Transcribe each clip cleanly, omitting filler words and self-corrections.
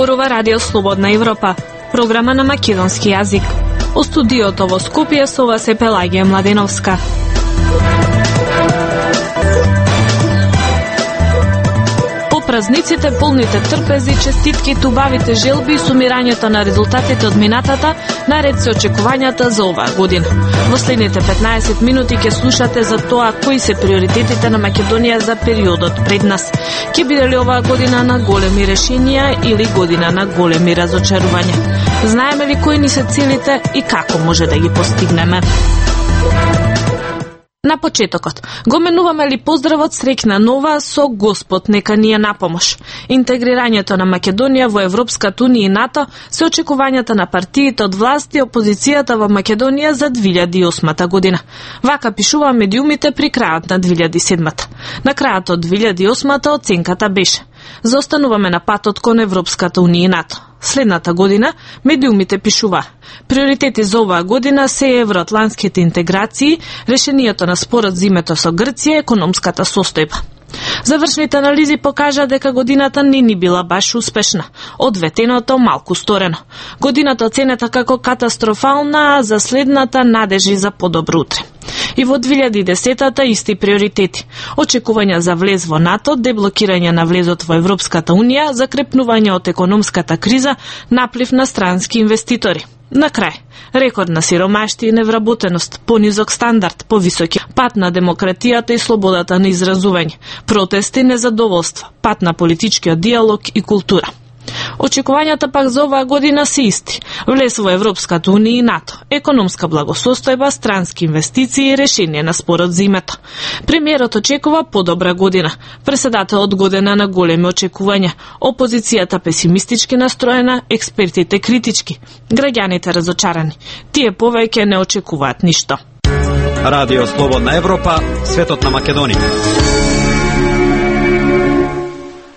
зборува Радио Слободна Европа, програма на македонски јазик. О студиото во Скопје со вас е Пелагија Младеновска. Празниците, полните трпези, честитки, тубавите желби и сумирањето на резултатите од минатата, наред се очекувањата за оваа година. Во следните 15 минути ќе слушате за тоа кои се приоритетите на Македонија за периодот пред нас. Ќе биде ли оваа година на големи решенија или година на големи разочарувања? Знаеме ли кои ни се целите и како може да ги постигнеме? На почетокот, го менуваме ли поздравот среќна нова со Господ нека ни е на помош. Интегрирањето на Македонија во Европската унија и НАТО се очекувањата на партиите од власт и опозицијата во Македонија за 2008 година. Вака пишува медиумите при крајот на 2007. На крајот од 2008 оценката беше: заостануваме на патот кон Европската унија и НАТО. Следната година медиумите пишува: приоритети за оваа година се евроатлантските интеграции, решението на спорот за името со Грција, економската состојба. Завршните анализи покажа дека годината не ни била баш успешна. Одветеното малку сторено. Годината оценета како катастрофална, а за следната надежи за подобро утре. И во 2010-та исти приоритети. Очекувања за влез во НАТО, деблокирање на влезот во Европската унија, закрепнување од економската криза, наплив на странски инвеститори. На крај, рекордна сиромаштија и невработеност, понизок стандард, повисоки пат на демократијата и слободата на изразување, протести, незадоволства, пат на политичкиот диалог и култура. Очекувањата пак за оваа година се исти. Влез во Европската унија и НАТО, економска благосостојба, странски инвестиции и решение на спорот за името. Премиерот очекува подобра година. Преседателот година на големи очекувања. Опозицијата песимистички настроена, експертите критички, граѓаните разочарани. Тие повеќе не очекуваат ништо. Радио Слободна Европа, светот на Македонија.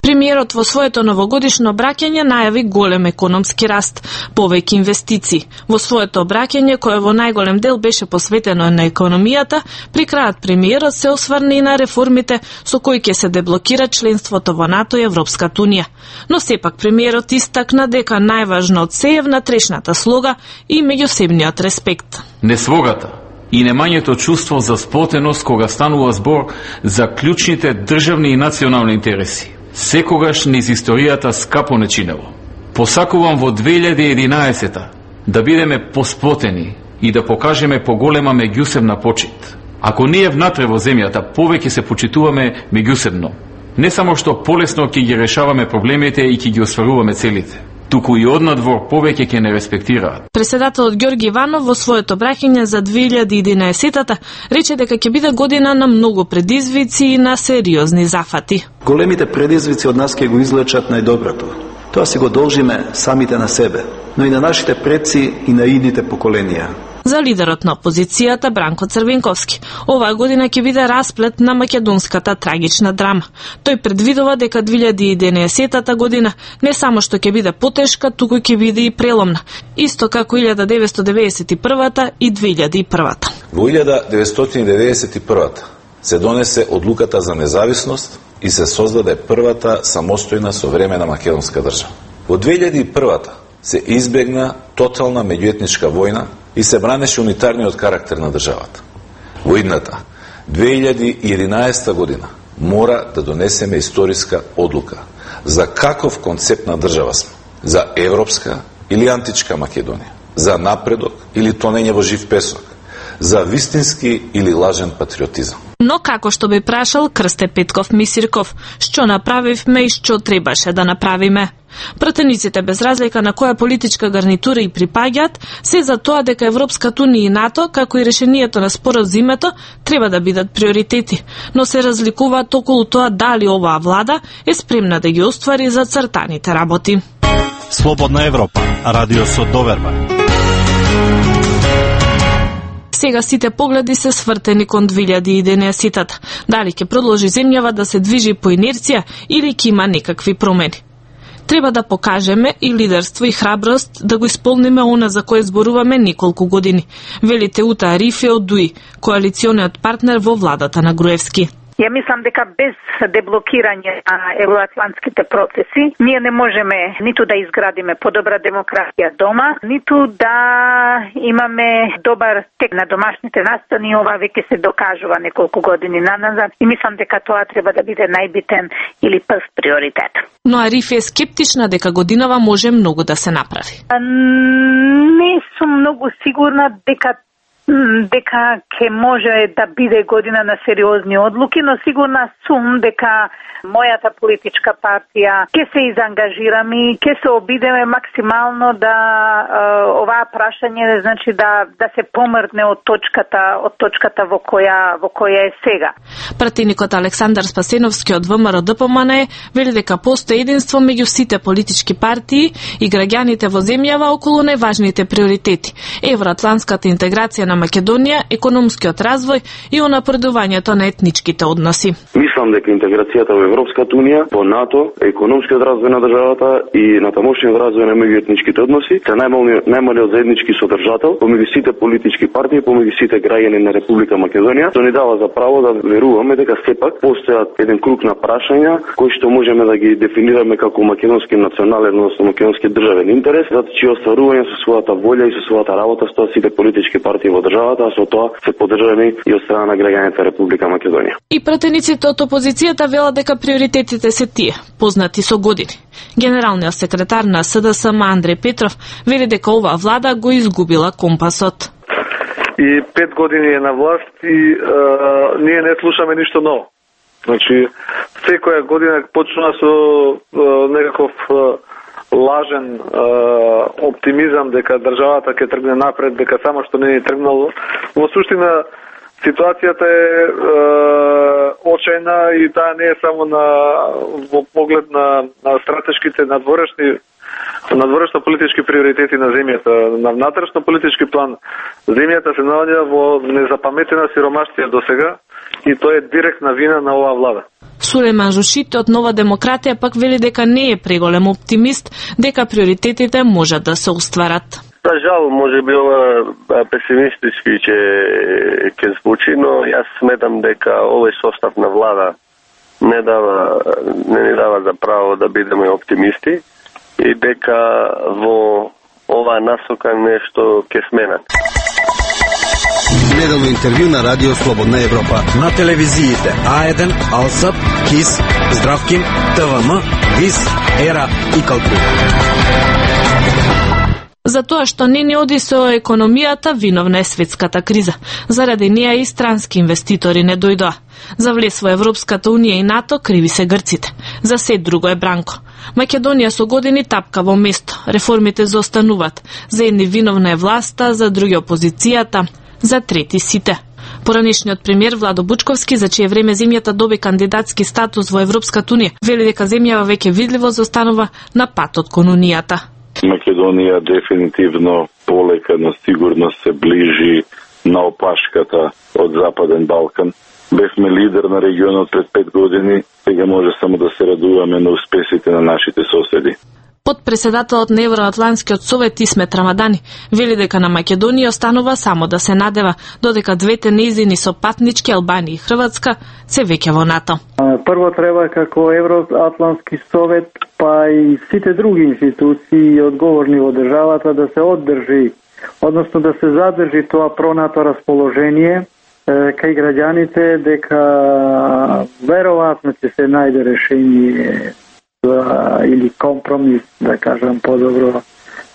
Премиерот во своето новогодишно обраќање најави голем економски раст, повеќе инвестиции. Во своето обраќање, кое во најголем дел беше посветено на економијата, при крајот премиерот се осврна и на реформите со кои ќе се деблокира членството во НАТО и Европската унија. Но сепак премиерот истакна дека најважно од се е внатрешната слога и меѓусебниот респект. Несвогата и немањето чувство за сплотеност кога станува збор за клучните државни и национални интереси секогаш низ историјата скапо не чинело. Посакувам во 2011 да бидеме посплотени и да покажеме поголема меѓусебна почит. Ако ние внатре во земјата повеќе се почитуваме меѓусебно, не само што полесно ќе ги решаваме проблемите и ќе ги остваруваме целите, туку и однадвор повеќе ќе не респектираат. Преседателот Ѓорги Иванов во своето обраќање за 2011-та рече дека ќе биде година на многу предизвици и на сериозни зафати. Големите предизвици од нас ќе го излечат најдоброто. Тоа си го должиме самите на себе, но и на нашите предци и на идните поколенија. За лидерот на опозицијата Бранко Црвенковски, оваа година ќе биде расплет на македонската трагична драма. Тој предвидува дека 2011 година не само што ќе биде потешка, туку ќе биде и преломна, исто како 1991 и 2001. Во 1991 се донесе одлуката за независност и се создаде првата самостојна современа македонска држава. Во 2001 се избегна тотална меѓуетничка војна и се бранеше унитарниот карактер на државата. Во идната 2011 година мора да донесеме историска одлука за каков концепт на држава сме, за европска или античка Македонија, за напредок или тонење во жив песок, за вистински или лажен патриотизам. Но како што би прашал Крсте Петков Мисирков, што направивме и што требаше да направиме? Пратениците без разлика на која политичка гарнитура и припаѓаат, се за тоа дека Европската унија и НАТО, како и решението на спорот за името, треба да бидат приоритети, но се разликуваат околу тоа дали оваа влада е спремна да ги оствари за цртаните работи. Слободна Европа, радио со доверба. Сега сите погледи се свртени кон 2011-та. Дали ќе продолжи земјава да се движи по инерција или ќе има некакви промени? Треба да покажеме и лидерство и храброст да го исполниме она за кое зборуваме неколку години, вели Теута Арифи од ДУИ, коалициониот партнер во владата на Груевски. Ја мислам дека без деблокирање на евроатлантските процеси ние не можеме ниту да изградиме подобра демократија дома, ниту да имаме добар тек на домашните настани. Ова веќе се докажува неколку години наназад и мислам дека тоа треба да биде најбитен или прв приоритет. Но Ариф е скептична дека годинава може многу да се направи. Не сум многу сигурна дека ќе може да биде година на сериозни одлуки, но сигурна сум дека мојата политичка партија ќе се изангажираме и ќе се обидеме максимално да оваа прашање, значи да се помрдне од точката во која е сега. Пратеникот Александар Спасеновски од ВМРО ДПМН вели дека постои единство меѓу сите политички партии и граѓаните во земјава околу најважните приоритети: евроатлантската интеграција на Македонија, економскиот развој и унапредувањето на етничките односи. Мислам дека интеграцијата во Европската унија, во НАТО, економскиот развој на државата и на тамошниот развој на меѓуетничките односи се најмалиот заеднички содржател помеѓу сите политички партии, помеѓу сите граѓани на Република Македонија, што ни дава за право да веруваме дека сепак постојат еден круг на прашања кои што можеме да ги дефинираме како македонски национален, односно македонски државен интерес, затоа че остварување со својата волја и со својата работа стоат сите политички партии во државата, а со тоа се поддржани и од страна на граѓаните Република Македонија. И пратениците од опозицијата велат дека приоритетите се тие, познати со години. Генералниот секретар на СДСМ Андреј Петров вели дека оваа влада го изгубила компасот. И 5 години е на власт и ние не слушаме ништо ново. Значи, секоја година почнува со некаков лажен оптимизам дека државата ќе тргне напред, дека само што не е тргнало. Во суштина, ситуацијата е очајна и таа не е само во поглед на стратешките надворешно политички приоритети на земјата. На внатрешно политички план земјата се наоѓа во незапаметена сиромаштија досега и тоа е директна вина на оваа влада. Сулейман Жушите од Нова демократија пак вели дека не е преголем оптимист дека приоритетите можат да се остварат. За жал, може би ова песимистички ќе звучи, но јас сметам дека овој состав на влада не ни дава за право да бидеме оптимисти и дека во оваа насока нешто ќе сменат. Неделно интервју на Радио Слободна Европа. На телевизиите А1, Алсап, КИС, Здравкин, ТВМ, ВИС, ЕРА и Калтур. За тоа што не оди со економијата, виновна е светската криза. Заради неа и странски инвеститори не дојдоа. За влез во Европската унија и НАТО криви се грците. За се друго е Бранко. Македонија со години тапка во место. Реформите заостануваат. За едни виновна е власта, за други опозицијата, за трети сите. Поранешниот премиер Владо Бучковски, за чие време земјата доби кандидатски статус во Европската унија, вели дека земјава веќе видливо заостанува на патот кон унијата. Македонија дефинитивно полека, но сигурно се ближи на опашката од Западен Балкан. Бевме лидер на регионот пред 5 години, сега може само да се радуваме на успесите на нашите соседи. Подпредседателот на Евроатлантскиот совет Исмет Рамадани вели дека на Македонија останува само да се надева, додека двете нејзини сопатнички Албанија и Хрватска се веќе во НАТО. Прво треба како Евроатлантски совет, па и сите други институции и одговорни во државата да се оддржи, односно да се задржи тоа пронато расположение кај граѓаните дека веројатно ќе се најде решение или компромис, да кажам подобро,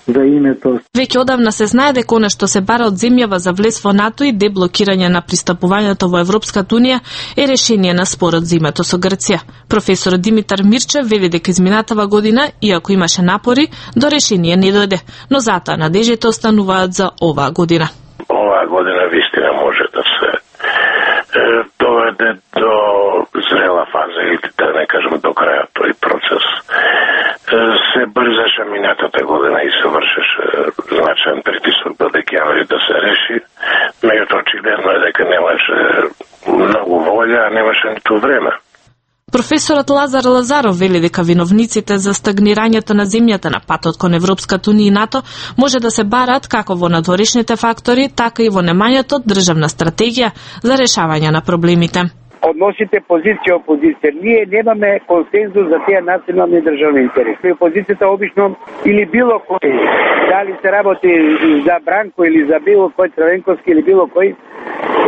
за името. Веќе одавна се знае дека она што се бара од земјава за влез во НАТО и деблокирање на пристапувањето во Европската унија е решение на спорот за името со Грција. Професор Димитар Мирчев вели дека изминатава година, иако имаше напори, до решение не дојде, но затоа надежите остануваат за оваа година. Оваа година вистина може да се доведе до зрела фаза или да не кажем до крајот тој процес. Се брзаше минатата година и се вршеше значаен притисок до декември да се реши, меѓутоа очигледно е дека немаше многу волја, а немаше ниту време. Професорот Лазар Лазаров вели дека виновниците за стагнирањето на земјата на патот кон Европската унија и НАТО може да се барат како во надворешните фактори, така и во немањето државна стратегија за решавање на проблемите. односите позиција опозиција. Ние немаме консензус за тие национални државни интереси. Опозицијата обично или било кој, дали се работи за Бранко или за било кој Црвенковски или било кој,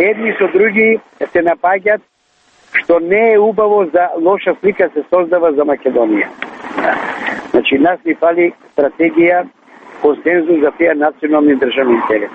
едни со други се напаѓаат, што не е убаво, за лоша слика се создава за Македонија. Значи, нас ни фали стратегија, консензус за тие национални државни интереси.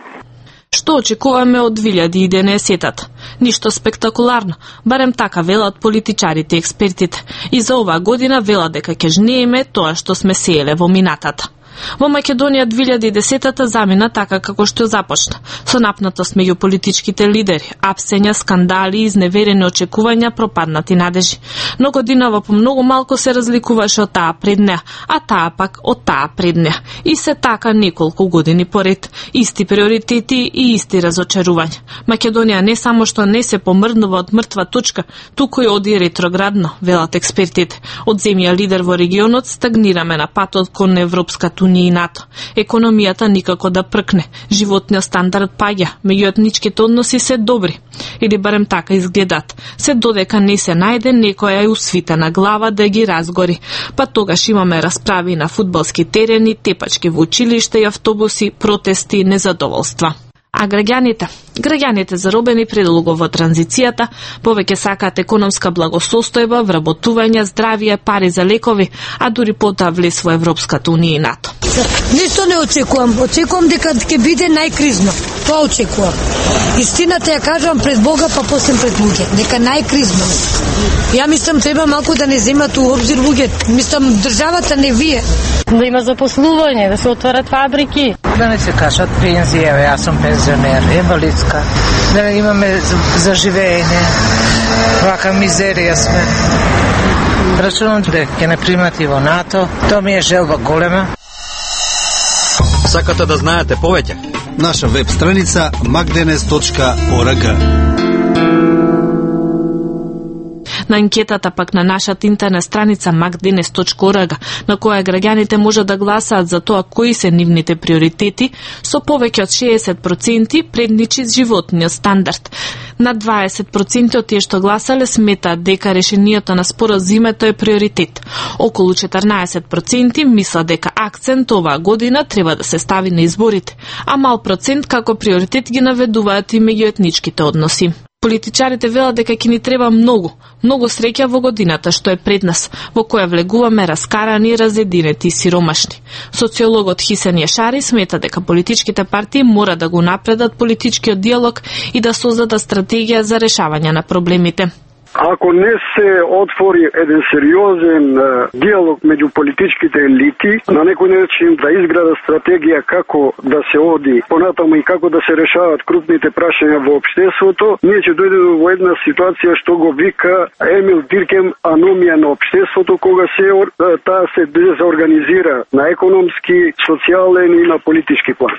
Што очекуваме од 2011-тата? Ништо спектакуларно, барем така велат политичарите и експертите. И за оваа година велат дека ќе жнееме тоа што сме сееле во минатата. Во Македонија 2010-та замина така како што започна, со напнатост меѓу политичките лидери, апсења, скандали, изневерени очекувања, пропаднати надежи. Но годинава по многу малку се разликуваше од таа пред неа, а таа пак од таа пред неа. И се така неколку години поред, исти приоритети и исти разочарувања. Македонија не само што не се помрднува од мртва точка, туку и оди ретроградно, велат експертите. Од земја лидер во регионот стагнираме на патот кон Европската унија и НАТО. Економијата никако да пркне, животниот стандард паѓа, меѓуетничките односи се добри. Или барем така изгледат. Се додека не се најде некоја усвитена глава да ги разгори. Па тогаш имаме расправи на фудбалски терени, тепачки во училишта и автобуси, протести, незадоволства. А граѓаните заробени предолго во транзицијата, повеќе сакаат економска благосостојба, вработување, здравје, пари за лекови, а дури потоа влез во Европската унија и НАТО. Ништо не очекувам. Очекувам дека ќе биде најкризно. Тоа очекувам. Истината ја кажувам пред Бога, па после пред луѓе. Дека најкризно. Ја мислам треба малку да не земат у обзир луѓе. Мислам државата, не вие. Да има запослување, да се отворат фабрики. Да не се кашат пензија, јас сум пензионер, инвалидска. Да не имаме за живење. Вака мизерија сме. Рачунам дека ќе не примати во НАТО. Тоа ми е желба голема. Сакате да знаете повеќе? Наша веб страница magdenes.org. На анкетата пак на нашата интернет страница magdenes.org, на која граѓаните може да гласаат за тоа кои се нивните приоритети, со повеќе од 60% предничи животниот стандард. На 20% од тие што гласале сметаат дека решението на спорот за името е приоритет. Околу 14% мислат дека акцент оваа година треба да се стави на изборите, а мал процент како приоритет ги наведуваат и меѓуетничките односи. Политичарите велат дека ќе ни треба многу среќа во годината што е пред нас, во која влегуваме раскарани, разединети и сиромашни. Социологот Хисен Јашари смета дека политичките партии мора да го напредат политичкиот диалог и да создадат стратегија за решавање на проблемите. Ако не се отвори еден сериозен диалог меѓу политичките елити, на некој начин да изграда стратегија како да се оди понатаму и како да се решават крупните прашања во општеството, ние ќе дојдеме во една ситуација што го вика Емил Диркем аномија на општеството, кога таа се дезорганизира на економски, социјален и на политички план.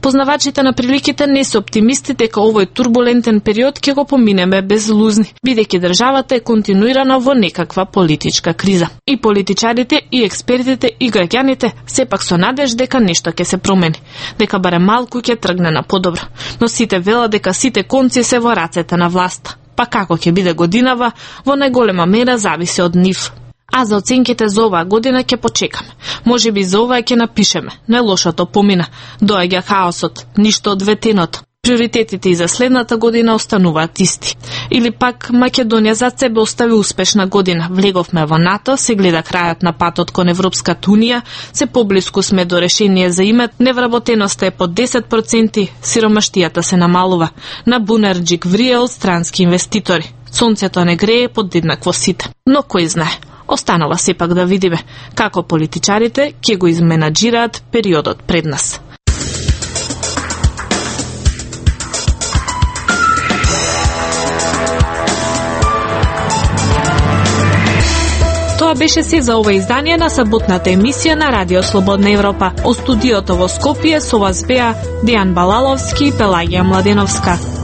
Познавачите на приликите не се оптимисти дека овој турбулентен период ќе го поминеме без лузни, бидејќи државата е континуирана во некаква политичка криза. И политичарите, и експертите, и граѓаните сепак со надеж дека нешто ќе се промени, дека барем малку ќе тргне на подобро. Но сите велат дека сите конци се во рацете на власта. Па како ќе биде годинава, во најголема мера зависи од нив. А за оценките за оваа година ќе почекаме. Може би за оваа ќе напишеме. Најлошото помина. Доаѓа хаосот, ништо од ветеното. Приоритетите и за следната година остануваат исти. Или пак Македонија зад себе остави успешна година. Влеговме во НАТО, се гледа крајот на патот кон Европската унија, се поблиску сме до решение за имет, невработеноста е под 10%, сиромаштијата се намалува. На бунарџик врие од странски инвеститори. Сонцето не грее под еднакво сите. Но кој знае? Останува сепак да видиме како политичарите ќе го изменаџираат периодот пред нас. Тоа беше се за ова издание на саботната емисија на Радио Слободна Европа. Од студиото во Скопје со вас беа Дејан Балаловски и Пелагија Младеновска.